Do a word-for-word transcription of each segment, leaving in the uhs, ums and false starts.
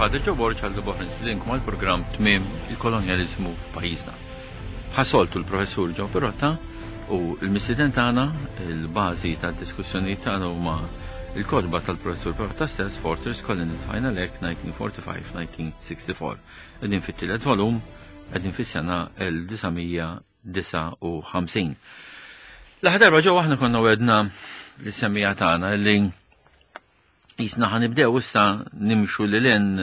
Father Joe Borg għal boħra nistedinkom għal-programm Tmiem il-Kolonjaliżmu f'pajjiżna. Bħas-soltu l-professur Joe Pirotta u l-mistieden tagħna, il-bażi tad-diskussjoni tagħna huma il-kotba tal-professur Pirotta stess, Fortress Colony Final Act nineteen forty-five nineteen sixty-four. Qegħdin fit-tielet volum, qegħdin fis-sena elf disa' mija disgħa u ħamsin. L-aħħar darba ġew aħna konna wegħedna lis-semmiegħa tagħna li jisna ħa nibdew issa nimxu lil hinn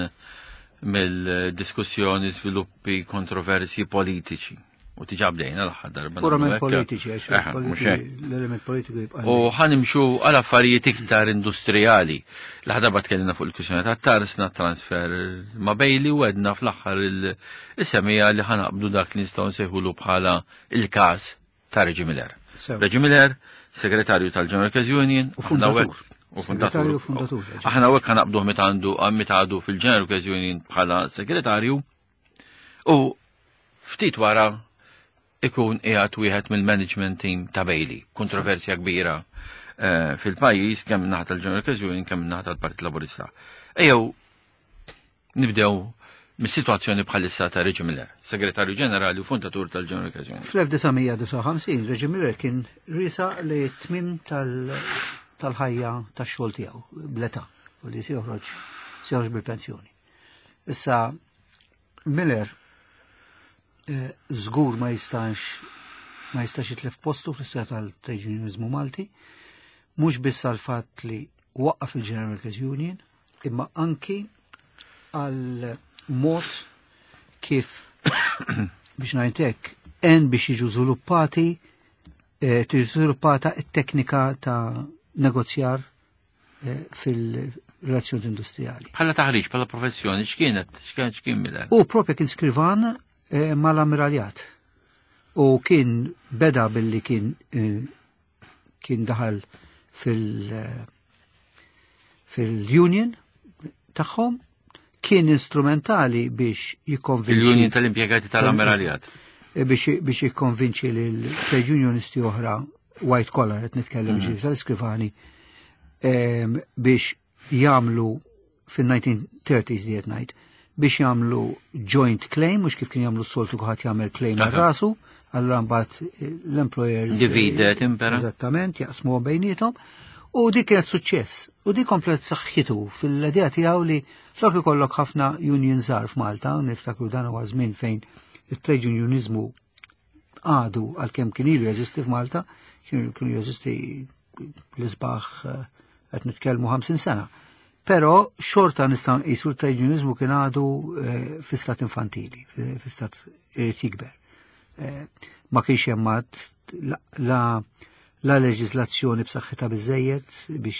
mill-diskussjoni, sviluppi, kontroversi politiċi. U diġà bdejna l-aħħar darba. Purament nagħmlu hekk. Politiċi, għax Eh, mhux hekk. l-element politiku jibqa'. U ħa nimxu għal affarijiet iktar industrijali. L-aħħar darba tkellimna fuq il-kwistjoni ta' tarsna, transfer ma' Bailey u għedna fl-aħħar il-semmiegħa li ħa naqbdu dak li nistgħu nsejħulu bħala il-każ ta' Reggie Miller. Sew. Reggie Miller, segretarju tal-General Workers Union, U fundatur. U fundatur. Segretarju u fundatur. Aħna hawnhekk ħa naqbduh meta għandu meta għadu fil-General Workers Union bħala segretarju u ftit wara ikun qiegħed wieħed mill-management team ta' Bailey. Kontroversja kbira eh, fil-pajjiż kemm naħa tal-General Workers Union, kemm naħa tal-Partit Laburista. Ejjew nibdew mis-sitwazzjoni bħalissa ta' Reggie Miller, segretarju ġenerali u fundatur tal-General Workers Union. Fl-elf disa' mija disgħa u ħamsin Reggie Miller kien riesaq lit-tmiem tal-ħajja tax-xogħol tiegħu bl-età u li se joħroġ se joħroġ bil-pensjoni. Issa Miller eh, żgur ma jistax ma jistax jitlef postu fl-istorja tal-trade unionizmu Malti, mhux biss għal fatt li waqqaf il-General Workers Union, imma anki għal mod kif, biex ngħidlek, en biex jiġu żviluppati eh, tiġi żviluppata t-teknika ta' negozjar eh, fil-relazzjoni industrijali. Bħala taħriġ, bħala professjoni, x'kienet, x'kien x'kien Miller? U propja kien skrivan eh, mal-ammiraljat. U kien beda billi kien eh, kien daħal fil- eh, fil-union tagħhom, kien instrumentali biex jikkonvinċi Il-Union tal-impjegati tal-Ammiraljat. Eh, biex biex jikkonvinċi lil trade unionisti oħra white collar, qed nitkellem mm -hmm. tal-iskrivani, em, biex jagħmlu fil-nineteen thirties li qed ngħid, biex jagħmlu joint claim, mhux kif kien jagħmlu s-soltu, kulħadd jagħmel claim għal Aha. rasu, allura mbagħad eh, l-employers eh, Divide impera. Eżattament, jaqsmu bejniethom. U dik kienet suċċess. U dik komplet saħħitu fil-idea tiegħu li flok ikollok ħafna union żgħar f'Malta, u niftakru dan huwa żmien fejn it-trade unionizmu għadu, għalkemm kien ilu jeżisti f'Malta, kienu kienu jeżisti l-isbaħ eh, qed nitkellmu ħamsin sena. Però xorta nistgħu nqisu l-trade unionizmu kien għadu eh, fi stat infantili, fi fi stat irid jikber. Eh, Ma kienx hemm għad la, la, la leġislazzjoni b'saħħitha biżejjed biex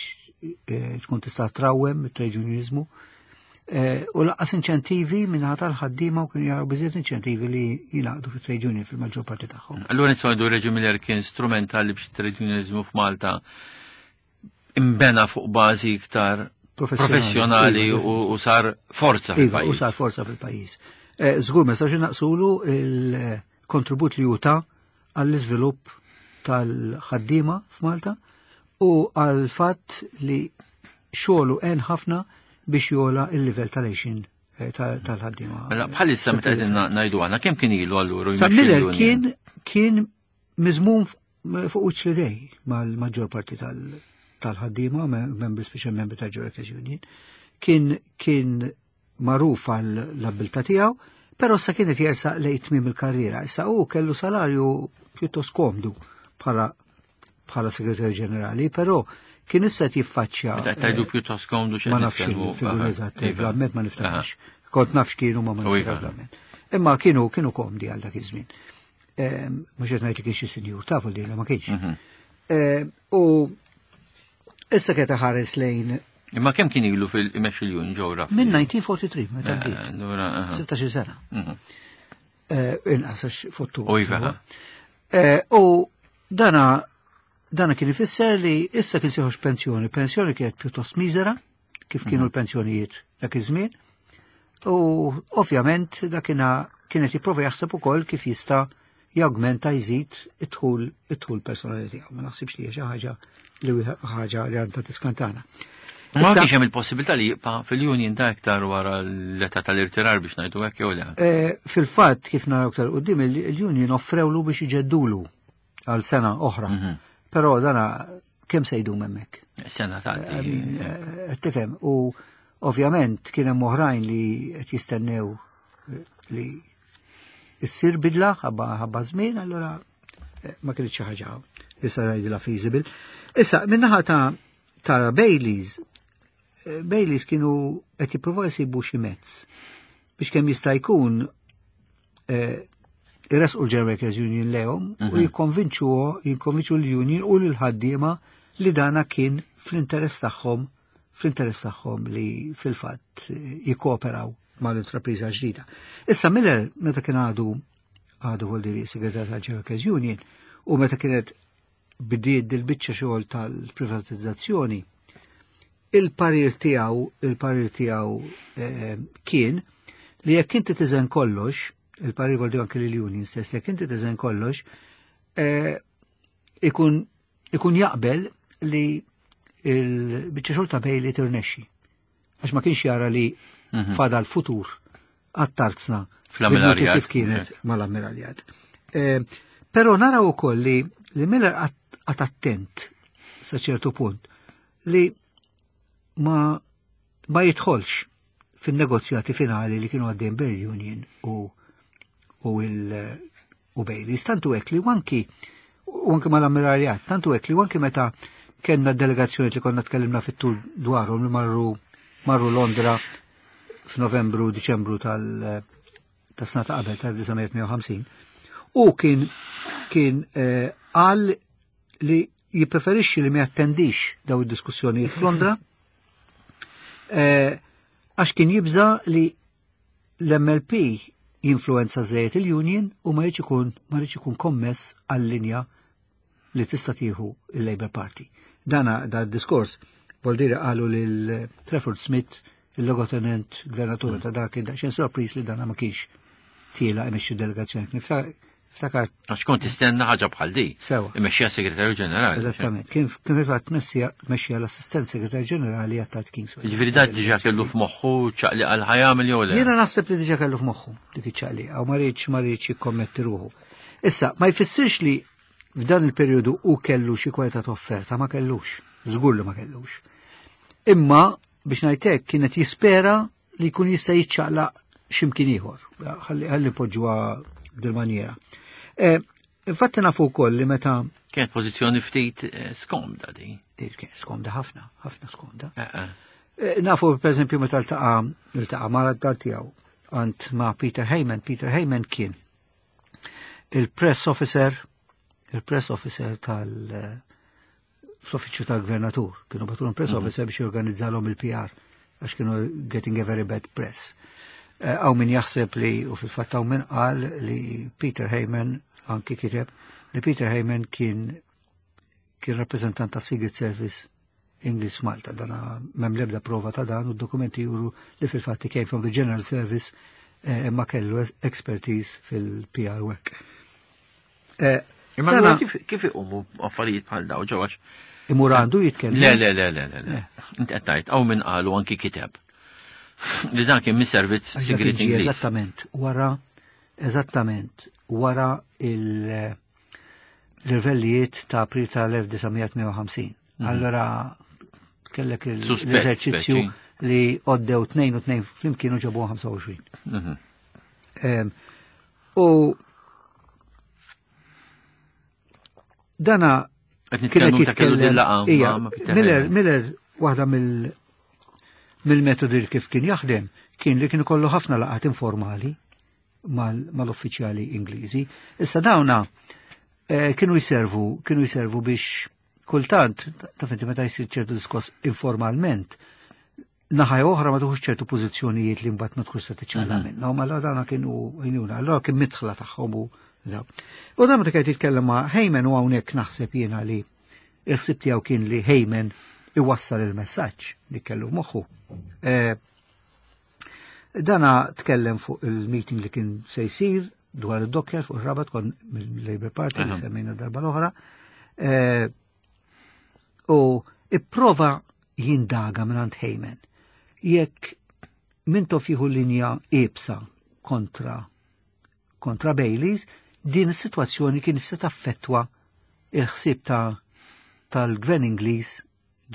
eh, tkun tista' trawwem it-trade unionizmu. Eh, u lanqas inċentivi minnaħa tal-ħaddiema, u kienu jaraw biżejjed inċentivi li jingħaqdu fit-trade union fil-maġġor parti tagħhom. Allura nistgħu ngħidu Reggie Miller kien strumentali biex trade unionizmu f'Malta imbena fuq bażi iktar professjonali Iva, u, u sar forza Iva, u fil-pajjiż. sar forza fil-pajjiż. Eh, Żgur ma nistax naqsulu il-kontribut li juta għall-iżvilupp tal-ħaddiema f'Malta u għal-fatt li xogħlu għen ħafna biex jogħla il-livell tal-għixien eh, ta- tal-ħaddiema. Mela bħalissa meta qegħdin ngħidu għandna kemm kien ilu allura Sa jmexxi Miller l-union? kien kien miżmum f- fuq wiċċ l-idej mal-maġġor parti tal- tal-ħaddiema, me- membri, speċjal membri tal Workers Union. Kien kien magħruf għal l-abbiltà tiegħu, però sa kienet jersaq lejn tmiem il-karriera. Issa hu kellu salarju pjuttost komdu bħala bħala segretarju ġenerali, però kien issa qed jiffaċċja Meta qed tgħidu pjuttost komdu, x'qed Ma nafx nitkellmu? il-figura Aha, eżatt, iva. bl-amment ma niftakarx. Kont nafx kienu ma ma U iva. niftakarx bl-amment. Imma kienu kienu komdi għal dak iż-żmien. Ehm, Mhux qed ngħid li kien xi sinjur, tafu li ma kienx. Mhm. Ehm, U issa kien ħares lejn Imma kemm kien ilu fil-imexxi l-union ġewra? Minn elf disa' mija tlieta u erbgħin meta Eh, bdiet. Allura, aha. sittax-il sena. Mhm. Eh, Inqas għax fottu. U iva. Eh, U dana dana kien ifisser li issa kien se joħroġ pensjoni. Pensjoni kienet pjuttost miżera, kif kienu l-pensjonijiet dak iż-żmien. U ovvjament dakina kienet jipprova jaħseb ukoll kif jista' jawgmenta, jżid id-dħul id-dħul personali tiegħu. Ma naħsibx li hija xi ħaġa li ħaġa li għandha tiskantana. Ma kienx hemm il-possibilità li jibqa' fil-union ta' iktar wara l-età tal-irtirar biex ngħidu hekk jew le. Eh, fil-fatt kif naraw iktar quddiem il-union offrewlu biex iġeddulu għal sena oħra. Mhm. Però dana kemm se jdum hemmhekk? Sena I mean, tgħaddi. eh, Tifhem, u ovvjament kien hemm oħrajn li qed jistennew eh, li issir bidla ħabba ħabba żmien, allura eh, ma kienx xi ħaġa li sa ngħidilha feasible. Issa, min-naħa ta' ta' Baileys, eh, Baileys kienu qed jippruvaw jsibu xi mezz biex kemm jista' jkun eh, irresqu l-General Workers Union lehom u jikkonvinċu jikkonvinċu l-union u l-ħaddiema li dana kien fl-interess tagħhom fl-interess tagħhom li fil-fatt eh, jikkooperaw mal-intrapriża ġdida. Issa Miller meta kien għadu għadu vuol dire segretarju tal-General Workers Union u meta kienet bdiet dil-biċċa xogħol tal-privatizzazzjoni, il-parir tiegħu il-parir tiegħu eh, kien li jekk inti tiżen kollox, il-parir vuol dire anke lill-union stess, jekk inti tiżen kollox, eh, ikun ikun jaqbel li il-biċċa xogħol ta' Bailey tirnexxi. Għax ma kienx jara li fadal futur għat-tarzna Fl-ammiraljat. kif kienet mal-ammiraljat. Eh, Però naraw ukoll li li Miller qagħad attent sa ċertu punt li ma ma jidħolx fin-negozjati finali li kienu għaddejn bejn union u u il u Baileys. Tantu hekk li anki u anki mal-ammiraljat, tantu hekk li anki meta kellna delegazzjoni li konna tkellimna fit-tul dwarhom li marru marru Londra f'Novembru, Diċembru tal tas-sena ta' qabel tal-elf disa' mija u ħamsin u kien kien eh, qal li jippreferixxi li ma jattendix daw id-diskussjonijiet f'Londra eh, għax kien jibża li l-M L P jinfluenza żejjed il-union u ma jridx ikun ma jridx ikun kommess għal-linja li tista' tieħu il-Labour Party. Dana da diskors vuol dire qalu lil Trafford Smith, il-logotenent gvernatur ta' dak id-daqsxejn sorpriż li dana ma kienx tiela imexxi delegazzjoni. Niftakar Għax kont tistenna ħaġa bħal di. Sewa. Imexxija segretarju ġenerali. Eżattament, kien kien fil-fatt mexxija l-assistent segretarju ġenerali għat Kingsway. Ġifieri dak diġà kellu f'moħħu ċaqli għal ħajamel jew le. Jiena naħseb li diġà kellu f'moħħu dik iċ-ċaqli, għaw ma riedx ma riedx jikkommetti ruħu. Issa, ma jfissirx li f'dan il-perjodu u kellu xi kwalità ta' offerta, ma kellux, żgur li ma kellux. Imma biex ngħidlek kienet jispera li jkun jista' jiċċaqlaq x'imkien ieħor. Ħalli ħalli poġġuha bil-maniera. Eh, Infatti nafu wkoll li meta Kienet pożizzjoni ftit eh, skomda di. Eh, kien skomda ħafna, ħafna skomda. Eh, eh. Eh, Nafu per eżempju meta ltaqa' ltaqa' mara d-dar tiegħu għand ma' Peter Heyman. Peter Heyman kien il-press officer, il-press officer tal fl-uffiċċju tal-gvernatur. Kienu bagħtulhom press officer biex jorganizzalhom il-P R għax kienu getting a very bad press. Eh, Hawn min jaħseb li, u fil-fatt hawn min qal li Peter Heyman, anki kiteb, li Peter Heyman kien kien rappresentant ta' Secret Service English Malta, dana m'hemm lebda prova ta' dan u d-dokumenti juru li fil-fatt came from the General Service eh, imma kellu expertise fil-P R work. Eh, Imma dana allura kif kif iqumu affarijiet bħal daw ġewwa? Imur għandu jitkellem. Le, le, le, le, le, le. Inti qed tgħid hawn min qalu anki kiteb li dan kien mis-servizz Għax dak sigriet kien ġie Ingliż. Eżattament, wara, eżattament, wara il- l-irvellijiet ta' April tal-elf disa' mija u ħamsin. Allora, kellek il- Suspett, l-eżerċizzju speċi. li għoddew tnejn u tnejn flimkien u ġabu ħamsa u għoxrin. Mhm. Em, U dana Qed kienet nitkellmu ta' kellu din jitkellem. laqgħa Ija, ma' ma' Peter Miller, Heyman. Miller, waħda mill mill-metodi li kif kien jaħdem kien li kien ikollu ħafna laqgħat informali mal- mal-uffiċjali Ingliżi. Issa dawna eh, kienu jservu, kienu jservu biex kultant, taf inti meta jsir ċertu diskors informalment, naħa oħra ma tuħux ċertu pożizzjonijiet li mbagħad ma tkunx se tiċċaqla minnhom, allora dana kienu jnuna, allora kien midħla tagħhom u daw. U dan meta kien jitkellem ma' Heyman u hawnhekk naħseb jiena li il-ħsib tiegħu kien li Heyman iwassal il-messaġġ li kellu f'moħħu. Eh, Dana tkellem fuq il-meeting li kien se jsir dwar id-dockyard fuq ir-Rabat kon mill-Labour Party li Aha. semmejna darba l-oħra. Eh, U ipprova jindaga minn Hayman. Jekk Mintoff jieħu linja iebsa kontra kontra Baileys, din is-sitwazzjoni kien se taffettwa il-ħsieb ta' tal-gvern Ingliż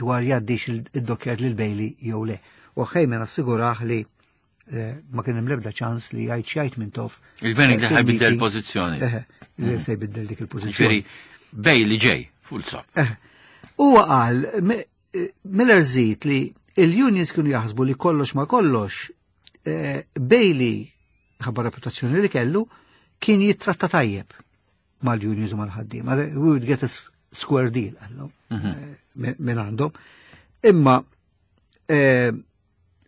dwar jgħaddix id-dockyard lil Bailey jew le. U Hayman assigurah li eh, ma kien hemm l-ebda ċans li jgħid x'jgħid Mintoff. Il-gvern Ingliż ħa jbiddel pożizzjoni. Li se jbiddel dik il-pożizzjoni. Bailey ġej, full stop. Huwa qal Miller żid li il-unions kienu jaħsbu li kollox ma kollox eh, Bailey ħabba reputazzjoni li kellu kien jittratta tajjeb mal-unions u mal-ħaddiema. We would get a square deal għallu mhm. eh, minn għandhom. Imma eh,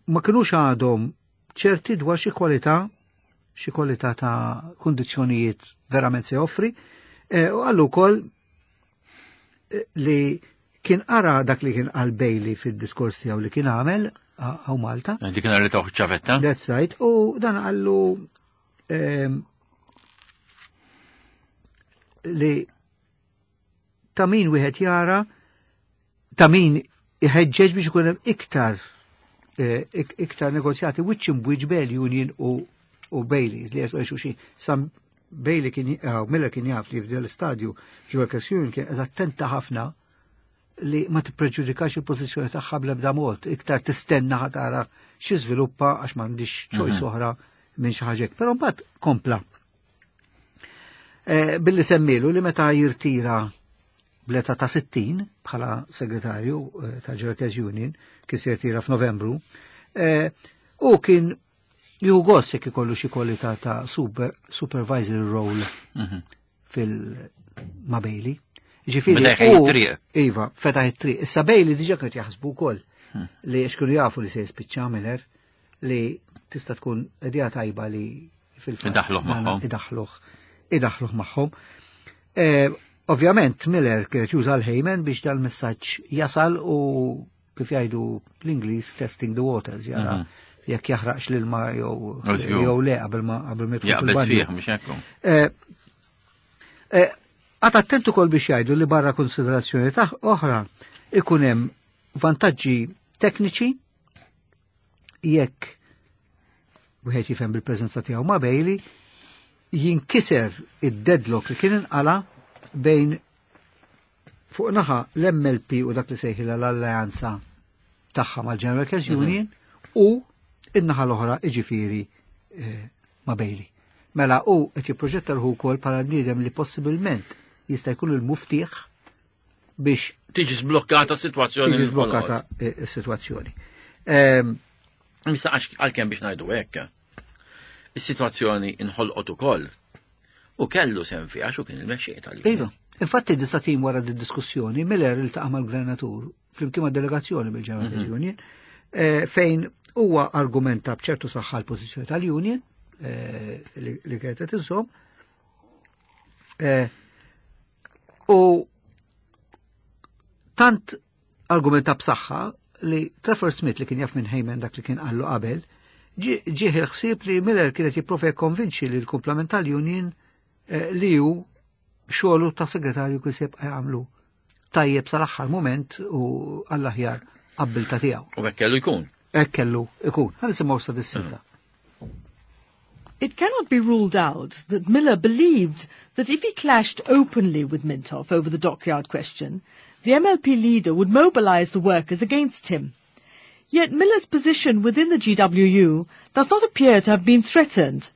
ma kienux għadhom ċerti dwar xi kwalità xi kwalità ta' kundizzjonijiet verament se joffri u għallu wkoll li kien qara dak li kien qal Bailey fid-diskors tiegħu li kien għamel hawn Malta. Dik kien li taħ ċavetta. That's right. U dan qallu ehm, li ta' min wieħed jara ta' min iħeġġeġ biex ikun hemm iktar eh, iktar negozjati wiċċ imb'wiċċ bejn Union u u Baileys li għax xi Sam Bailey kien eh, Miller kien jaf li f'del istadju fil-Workers Union kien attenta ħafna li ma tippreġudikax il-pożizzjoni tagħha bl-ebda mod, iktar tistenna ħa tara xi żviluppa għax m'għandix choice mhm. oħra minn xi ħaġa. Però mbagħad kompla. Eh, billi semmilu li meta jirtira bl-età ta' sittin bħala segretarju eh, ta' Workers Union, kien se jirtira f'Novembru, eh, u kien jieħu gost jekk ikollu xi kwalità ta' super, supervisory role mhm. fil ma' Bailey. Ġifieri. It-triq. Iva, fetaħ it-triq. Issa Bailey diġa kienu jaħsbu wkoll hmm. li xkienu jafu li se jispiċċa Miller li tista' tkun idea tajba li fil-fatt. Idaħluh magħhom. Idaħluh. Idaħluh magħhom. Eh, ovvjament Miller kienet juża l-Hayman biex dal-messaġġ jasal u kif jgħidu l-Ingliż testing the waters jara mhm. jekk jaħraqx l-ilma jew jew le qabel ma qabel ma jidħol fil-banju. Mhux hekk. Eh, eh, Qagħad attent ukoll biex jgħidu li barra konsiderazzjoni ta' oħra ikun hemm vantaġġi tekniċi jekk wieħed jifhem bil-preżenza tiegħu ma' Bailey jinkiser id-deadlock li kien inqala bejn fuq naħa l-M L P u dak li sejħilha l-alleanza tagħha mal-General Workers mhm. Union u in-naħa l-oħra, iġifieri eh, ma' Bailey. Mela u qed jipproġetta ruħu wkoll bħala bniedem li possibilment jista' jkun il-muftiħ biex tiġi sblokkata s-sitwazzjoni. Tiġi sblokkata s-sitwazzjoni. Ehm, Issa għalkemm biex ngħidu hekk. Is-sitwazzjoni inħolqot ukoll u kellu sehem fiha għax kien il-mexxej tal Iva, infatti disat ijiem wara di diskussjoni Miller iltaqa' mal-gvernatur flimkien ma' delegazzjoni bil-General mm -hmm. Union eh, fejn huwa argumenta b'ċertu saħħa l-pożizzjoni tal-Union eh, li, li kienet qed iżżomm. Eh, u tant argumenta b'saħħa li Trafford Smith, li kien jaf minn Hayman dak li kien qallu qabel, ġieħ il-ħsieb li Miller kienet jipprova jikkonvinċi li l-kumplament tal-Union eh, li hu xogħlu ta' segretarju kien se jibqa' jagħmlu tajjeb sal-aħħar moment u għall-aħjar abbiltà tiegħu. U hekk kellu jkun. Hekk kellu jkun. Ħa nisimgħu sa dis-silta. It cannot be ruled out that Miller believed that if he clashed openly with Mintoff over the dockyard question, the M L P leader would mobilize the workers against him. Yet Miller's position within the G W U does not appear to have been threatened.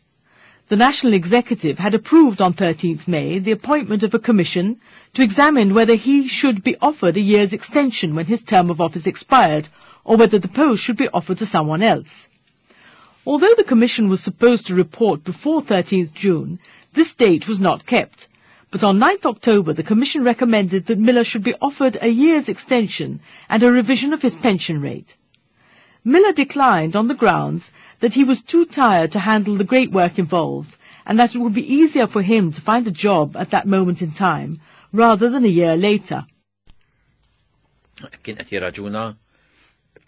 The National Executive had approved on thirteenth May the appointment of a commission to examine whether he should be offered a year's extension when his term of office expired, or whether the post should be offered to someone else. Although the commission was supposed to report before thirteenth June, this date was not kept. But on ninth October, the commission recommended that Miller should be offered a year's extension and a revision of his pension rate. Miller declined on the grounds that he was too tired to handle the great work involved and that it would be easier for him to find a job at that moment in time rather than a year later. Kien qed jirraġuna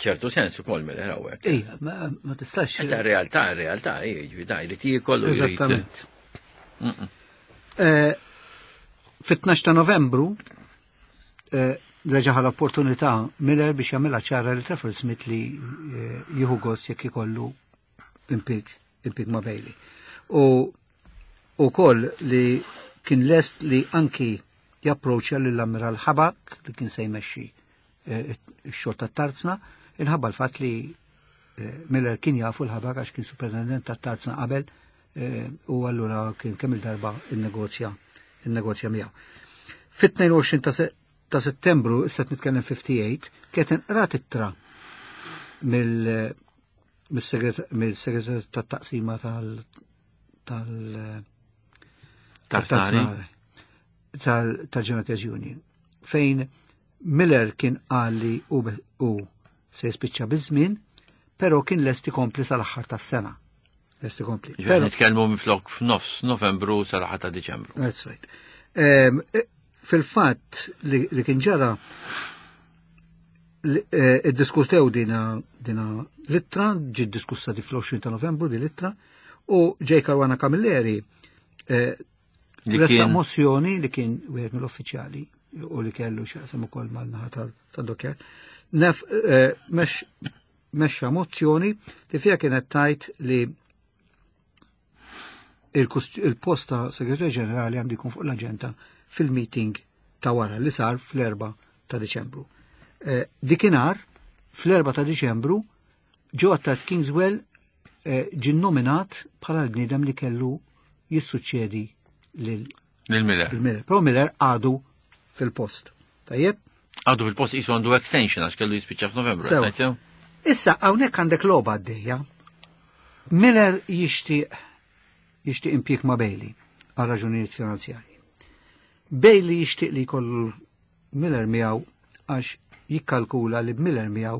ċertu sens ukoll Miller hawnhekk. Ejja, ma, ma tistax. Ta' realtà, realtà, jiġri da jrid jiekol u jrid. Eżattament. Eh, Fit-tnax ta' Novembru, eh, reġa' l-opportunità Miller biex jagħmilha ċara li Trafford Smith li eh, jieħu gost jekk ikollu impjieg impjieg ma' Bailey. U ukoll li kien lest li anki japproċċja lill-Ammiral Ħabak li kien se jmexxi eh, ix-xogħol tat-tarzna inħabba l-fatt li eh, Miller kien jafu l-Ħabak għax kien superintendent tat-tarzna qabel eh, u allura kien kemm il-darba il-negozja il-negozja miegħu. Fit-tnejn u għoxrin ta' se- ta' Settembru, issa qed nitkellem ħamsa u ħamsin, kienet inqrat ittra mill mill-segretar tat-taqsima tal tal Tarzani. tal tal-General Union fejn Miller kien qal li u u se jispiċċa biż-żmien, però kien lest ikompli sal-aħħar tas-sena. Lest ikompli. Ġifieri Però nitkellmu minflok f'nofs Novembru sal-aħħar ta' Diċembru. That's right. Em, e, Fil-fatt li, li kien ġara li- eh, iddiskutew dina dina l-ittra, ġiet diskussa di fl-għoxrin ta' Novembru di l-ittra, u J. Caruana Camilleri eh, Li ressaq kien mozzjoni li kien wieħed mill-uffiċjali u li kellu x'jaqsam ukoll mal-naħa tad-dockyard. Nef eh, mex mexxa mozzjoni li fiha kienet tajt li il-kust- il-post ta' segretarju ġenerali għandu jkun fuq l-aġenda fil-meeting ta' wara li sar fl-erba ta' Deċembru. Eh, Dikinhar, fl-erba ta' Deċembru, Joe Attard Kingswell eh, ġie nominat bħala l-bniedem li kellu jissuċċedi lil Lil Miller. Miller. Però Miller għadu fil-post. Tajjeb? Għadu fil-post jisu għandu extension għax kellu jispiċċa f'Novembru. Sewa. qed ngħid? Issa hawnhekk għandek logħba għaddejja. Miller jixtieq jixtieq impjieg ma' Bailey għal raġunijiet finanzjarji. Bailey jixtieq li jkollu Miller miegħu għax jikkalkula li b'Miller miegħu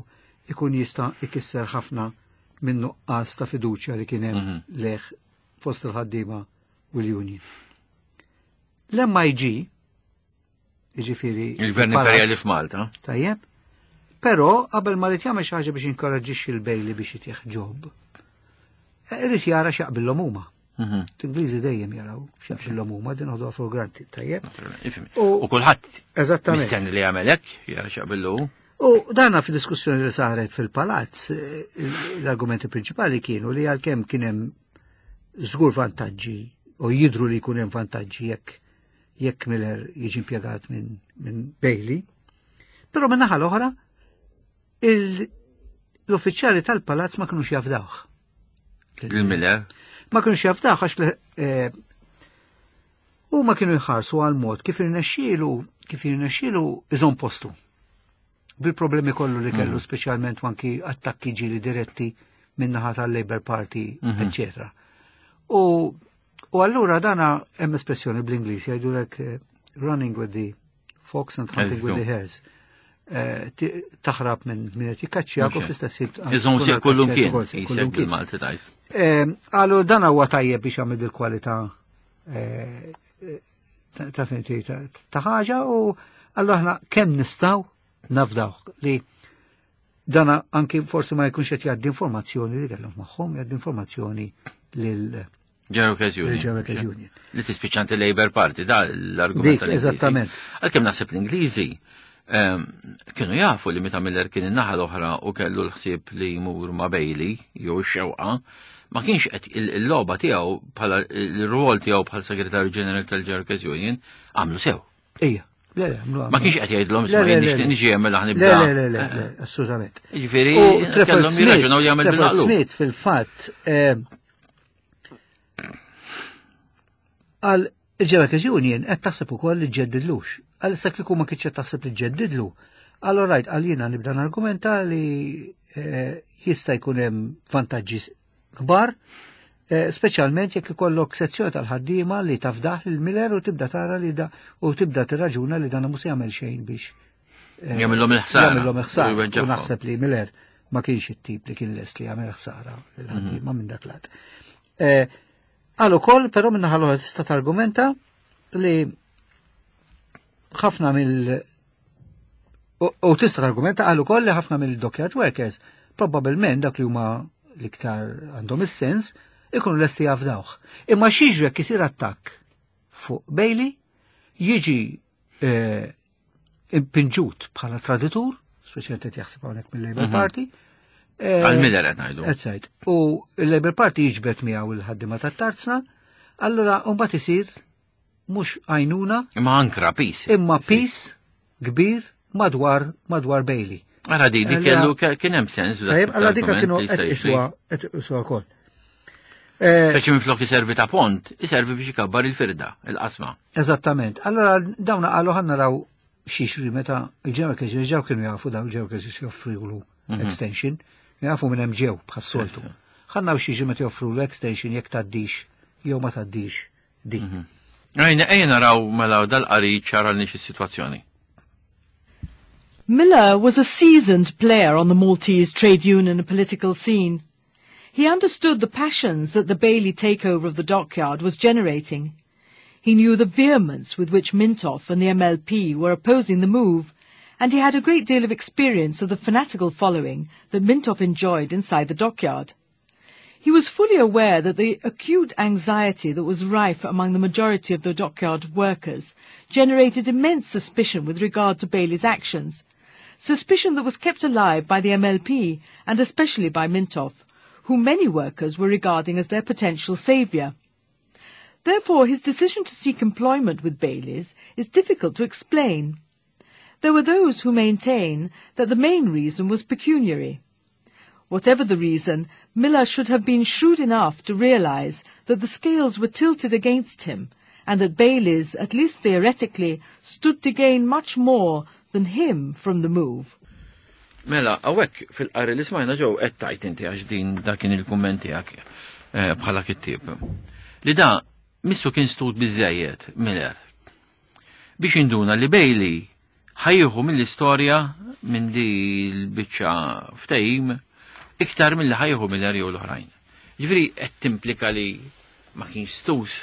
ikun jista' ikisser ħafna minn nuqqas ta' fiduċja li kien hemm leħ fost il-ħaddiema u l-union. L-M I G, jiġifieri Il-Gvern il-Palazz, Imperjali f'Malta. Tajjeb. Però qabel ma li jagħmel xi ħaġa biex inkoraġġixxi l-Bailey biex jitih job, irid jara x'jaqbillhom huma. Mhm. L-Ingliżi dejjem jaraw x'jaqbillhom huma, din ħoduha for granted, tajjeb. Naturalment, ifhem. U- U kulħadd Eżattament. mistenni li jagħmel hekk, jara x'jaqbillu. U dana fil-diskussjoni li saret fil-palazz, eh, l-argumenti prinċipali kienu li għalkemm kien hemm żgur vantaġġi u jidru li jkun hemm vantaġġi jekk jekk Miller jiġi impjegat minn min Bailey, però minn naħa l-oħra il- l-uffiċjali tal-palazz ma kinux jafdawh. Il-Miller. Ma kienux jafdawh għax li, eh, u ma kienu jħarsu għal mod kif irnexxielu kif irnexxielu iżomm postu. Bil-problemi kollu li kellu, speċjalment anki attakki ġieli diretti min-naħa tal-Labour Party, eccetera. U, u allura dana hemm espressjoni bl-Ingliż jgħidulek eh, running with the fox and hunting with the hares. Eh, ti- Taħrab minn min qed jikkaċċjak u Mhux fl-istess ħin Iżomm tkun sieq kullum għal kien, kaċċjat ukoll, jisek kullum kien. bil-Malti tajt. Eh, Għallu dan huwa tajjeb biex jagħmel il-kwalità eh, ta' ta' finti ta' ta' ħaġa u allura aħna kemm nistgħu nafdaw li dana anki forsi ma jkunx qed jgħaddi informazzjoni li kellhom magħhom, jgħaddi informazzjoni lil General Workers Union. General Workers Union. Li tispiċċanti Labour Party, da l-argument Dik, tal-Ingliżi. eżattament. Għalkemm naħseb l-Ingliżi ehm, kienu jafu li meta Miller kien in-naħa l-oħra u kellu l-ħsieb li jmur ma' Bailey jew x-xewqa, ma kienx qed il- il-logħba tiegħu bħala il-rwol tiegħu bħala segretarju ġenerali tal-General Workers Union għamlu sew. Ija, le, le, għamlu Ma kienx qed jgħidlhom Le, isma' le, jien le, nixtieq le. niġi hemm mela Le, ħnibda. le, le, le, le, assolutament. Jiġifieri U Trafford kellhom Smith, jirraġunaw li jagħmel Trafford bil-maqlub. Smith fil-fatt eh, għal il-General Workers Union qed taħseb ukoll li ġeddidlux. Għal issa kieku ma kienx qed taħseb li ġeddidlu. Allora rajt għal jiena nibda nargumenta li eh, jista' jkun hemm vantaġġi kbar, eh, speċjalment jekk ikollok sezzjoni tal-ħaddiema li tafdaħ lil Miller u tibda tara li da u tibda tirraġuna li dan mhux se jagħmel xejn biex eh, Jagħmilhom il-ħsara. Jagħmilhom il-ħsara. U U jweġġagħhom. naħseb li Miller ma kienx it-tip li kien lest li jagħmel ħsara lil-ħaddiema minn dak lat. Eh, Għal ukoll, però minn naħa l-oħra tista' targumenta li ħafna mill u u tista' targumenta għal ukoll li ħafna mill-dockyard workers probabbilment dak li huma l-iktar għandhom is-sens ikunu lesti jafdawh. Imma x'jiġri jekk isir attakk fuq Bailey jiġi eh, impinġut bħala traditur, speċjalment qed jaħseb hawnhekk mill-Labour Mhm. Party. Eh, Għal Miller qed ngħidu. Eżatt. U il-Labour Party jiġbed miegħu il-ħaddiema tat-tarzna, allura mbagħad isir mhux għajnuna Imma ankra piż. imma piż kbir madwar madwar Bailey. Ara di, di Allora- kellu ke- kien hemm sens. f'dak Tajjeb, allora dika l-argument kienu li qed jista' jiġri. iswa qed iswa wkoll. Eh, Speċi minflok iservi ta' pont, iservi biex ikabbar il-firda, il-qasma. Eżattament. Allora dawna qalu ħa naraw x'jiġri meta il-General Workers ġew kienu jafu daw il-General Workers joffrilu extension, jafu minn hemm ġew bħas-soltu. Ħa naraw x'jiġri meta joffrulu extension jekk tgħaddix jew ma tgħaddix din. Ejna, ejna naraw mela dal-qari ċara l is-sitwazzjoni. Miller was a seasoned player on the Maltese trade union and political scene. He understood the passions that the Bailey takeover of the dockyard was generating. He knew the vehemence with which Mintoff and the M L P were opposing the move, and he had a great deal of experience of the fanatical following that Mintoff enjoyed inside the dockyard. He was fully aware that the acute anxiety that was rife among the majority of the dockyard workers generated immense suspicion with regard to Bailey's actions, suspicion that was kept alive by the M L P and especially by Mintoff, whom many workers were regarding as their potential saviour. Therefore, his decision to seek employment with Bailey's is difficult to explain. There were those who maintain that the main reason was pecuniary. Whatever the reason, Miller should have been shrewd enough to realize that the scales were tilted against him and that Bailey's, at least theoretically, stood to gain much more than him from the move. Mela, hawnhekk fil-qari li smajna ġew qed tajt inti għax din dak kien il-kumment tiegħek eh, bħala kittieb. Li da missu kien stut biżejjed Miller biex induna li Bailey ħa jieħu mill-istorja minn di l-biċċa ftehim iktar mill-li ħa jieħu Miller jew l-oħrajn. Ġifieri qed timplika li ma kienx stus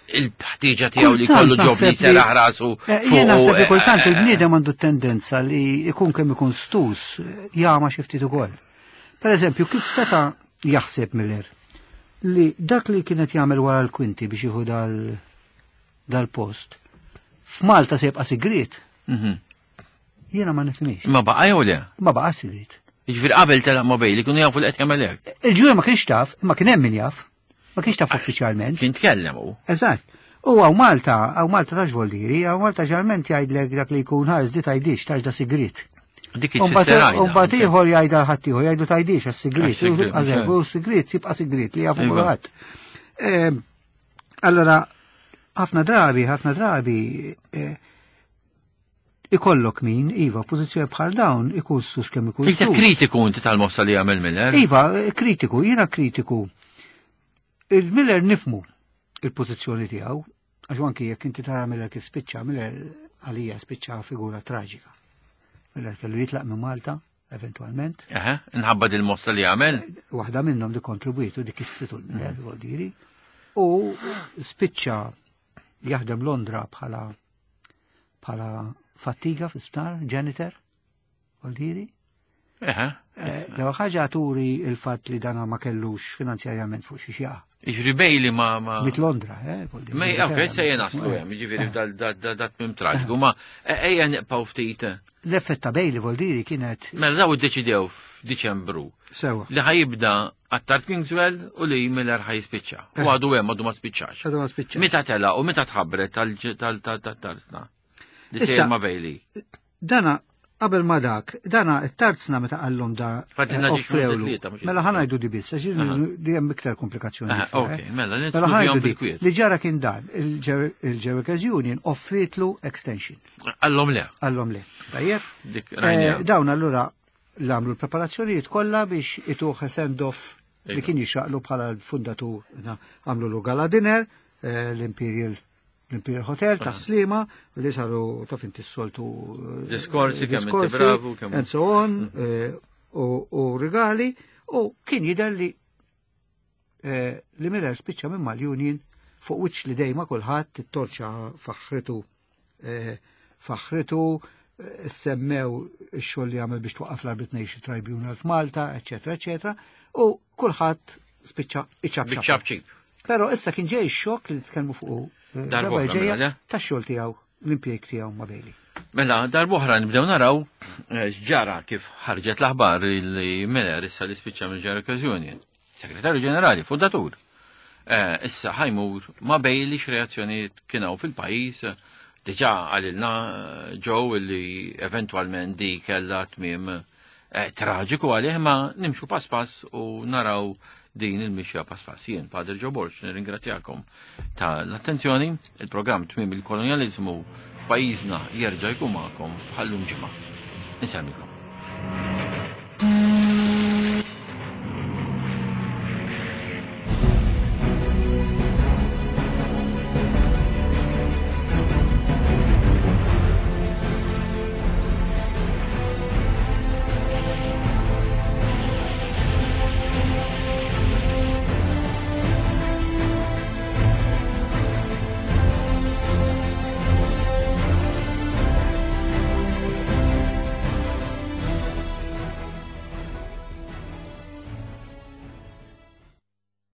il-ħtieġa tiegħu li Kultant kollu job li naħseb li- seraħ rasu Eh, Jien naħseb li fuq, kultant eh, il-bniedem għandu tendenza li ikun kemm ikun stus jagħma xi ftit ukoll. Per eżempju, kif seta' jaħseb Miller li dak li kienet jagħmel wara l-kwinti biex jieħu dal dal-post f'Malta se jibqa' sigriet, mhm. jiena ma nifhimx. Ma baqa' jew le? Ma baqa' sigriet. Jiġifieri qabel telaq ma' Bailey kienu jafu li qed jagħmel hekk. Il-ġuri ma kienx taf, ma kien hemm min jaf, ma kienx taf uffiċjalment. Kien tkellem hu. Eżatt. U hawn Malta, hawn Malta tax voldiri, hawn Malta ġeneralment jgħidlek dak li jkun ħares di tgħidix, tax da sigriet. Dik il-sisterajda. Umbagħad ieħor jgħidha ħadd ieħor, jgħidu tgħidix għas-sigriet. Għas-sigriet, Għażek, mhux u sigriet jibqa' sigriet li jafu Iva. kulħadd. Ehm, Allora, ħafna drabi, ħafna drabi, eh, ikollok min, iva, pożizzjoni bħal dawn, ikun stus kemm ikun Iktar stus. kritiku inti tal-mossa li jagħmel Miller. Iva, eh, kritiku, jiena kritiku. Il-Miller nifhmu il-pożizzjoni tiegħu, għax anki jekk inti tara Miller kif spiċċa, Miller għalija spiċċa figura traġika. Miller kellu jitlaq minn Malta, eventualment. Eħe, nħabba dil-mossa li jagħmel. Waħda minnhom li kontribwitu dik istritu l-Miller, vuol diri. U spiċċa jaħdem Londra bħala bħala fattiga fi sptar, janitor, vuol diri. Eħe. L-ewwel ħaġa turi il-fatt li dana ma kellux finanzjarjament fuq xi xjaqa. Jiġri Bailey ma ma. Mit Londra, eh? Vuol dire. Ma ok, se naslu hemm, jiġifieri dal dat mim traġiku, ma ejja nibqgħu ftit. L-effett ta' Bailey vuol diri kienet Mela daw iddeċidew f'Diċembru sewa. li ħa jibda Attard Kingswell u li Miller ħa jispiċċa. U għadu hemm għadu ma spiċċax. Għadu ma spiċċax. Meta tela u meta tħabbret tal-tarzna? Li Issa- sejjer ma' Bailey. Dana qabel ma dak, dana it-tarzna meta qallhom da Fadlilna eh, ġiex offrewlu. tlieta, mhux Mela ħa ngħidu di biss, għax li hemm iktar komplikazzjoni. Aha, fiha, ok, eh. mela, Mela nidħlu ħa ngħidu fihom di, bil-kwiet. li ġara kien dan, il-General Workers Union offritlu extension. Qallhom le. Qallhom le. Tajjeb? Dik Eh, rajnija. Dawn allura l-għamlu l-preparazzjonijiet kollha biex ituh send-off li Iva. kien jixraqlu bħala l-fundatur. Na, għamlu lu gala dinner, eh, l-Imperial l-Imperial Hotel ta' Slima, li saru taf inti s-soltu eh, Diskorsi, kemm inti diskorsi, bravu, kemm- and so on, eh, u u regali, u kien jidher li eh, li Miller spiċċa minn mal-Union fuq wiċċ li dejma kulħadd it-torċa faħritu eh, faħritu eh, semmew ix-xogħol li għamel biex twaqqaf l-Arbitration Tribunal f'Malta, eċetera, eċetera, u kulħadd spiċċa iċapċap. Biċ-ċapċip. Però issa kien ġej x-xokk li tkellmu fuq eh, Darba darba oħra, ġejja mela, le? tax-xogħol tiegħu, l-impjeg tiegħu ma' Bailey. Mela, darb'oħra nibdew naraw eh, x'ġara kif ħarġet l-aħbar li Miller issa li spiċċa mill-General Union. Segretarju Ġenerali, fundatur. Eh, issa ħa jmur ma' Bailey, x'reazzjonijiet kienu fil-pajjiż. Diġà qalilna eh, Joe li eventwalment di kella tmiem traġiku għalih, ma nimxu pass pass u naraw din il-mixja pass pass. Jien, Padre Joe Borg, nirringrazzjakom ta' l-attenzjoni. Il-programm Tmiem il-Kolonializmu f'pajjiżna jerġa' jkun magħkom bħal-lum ġimgħa. Insellmilkom.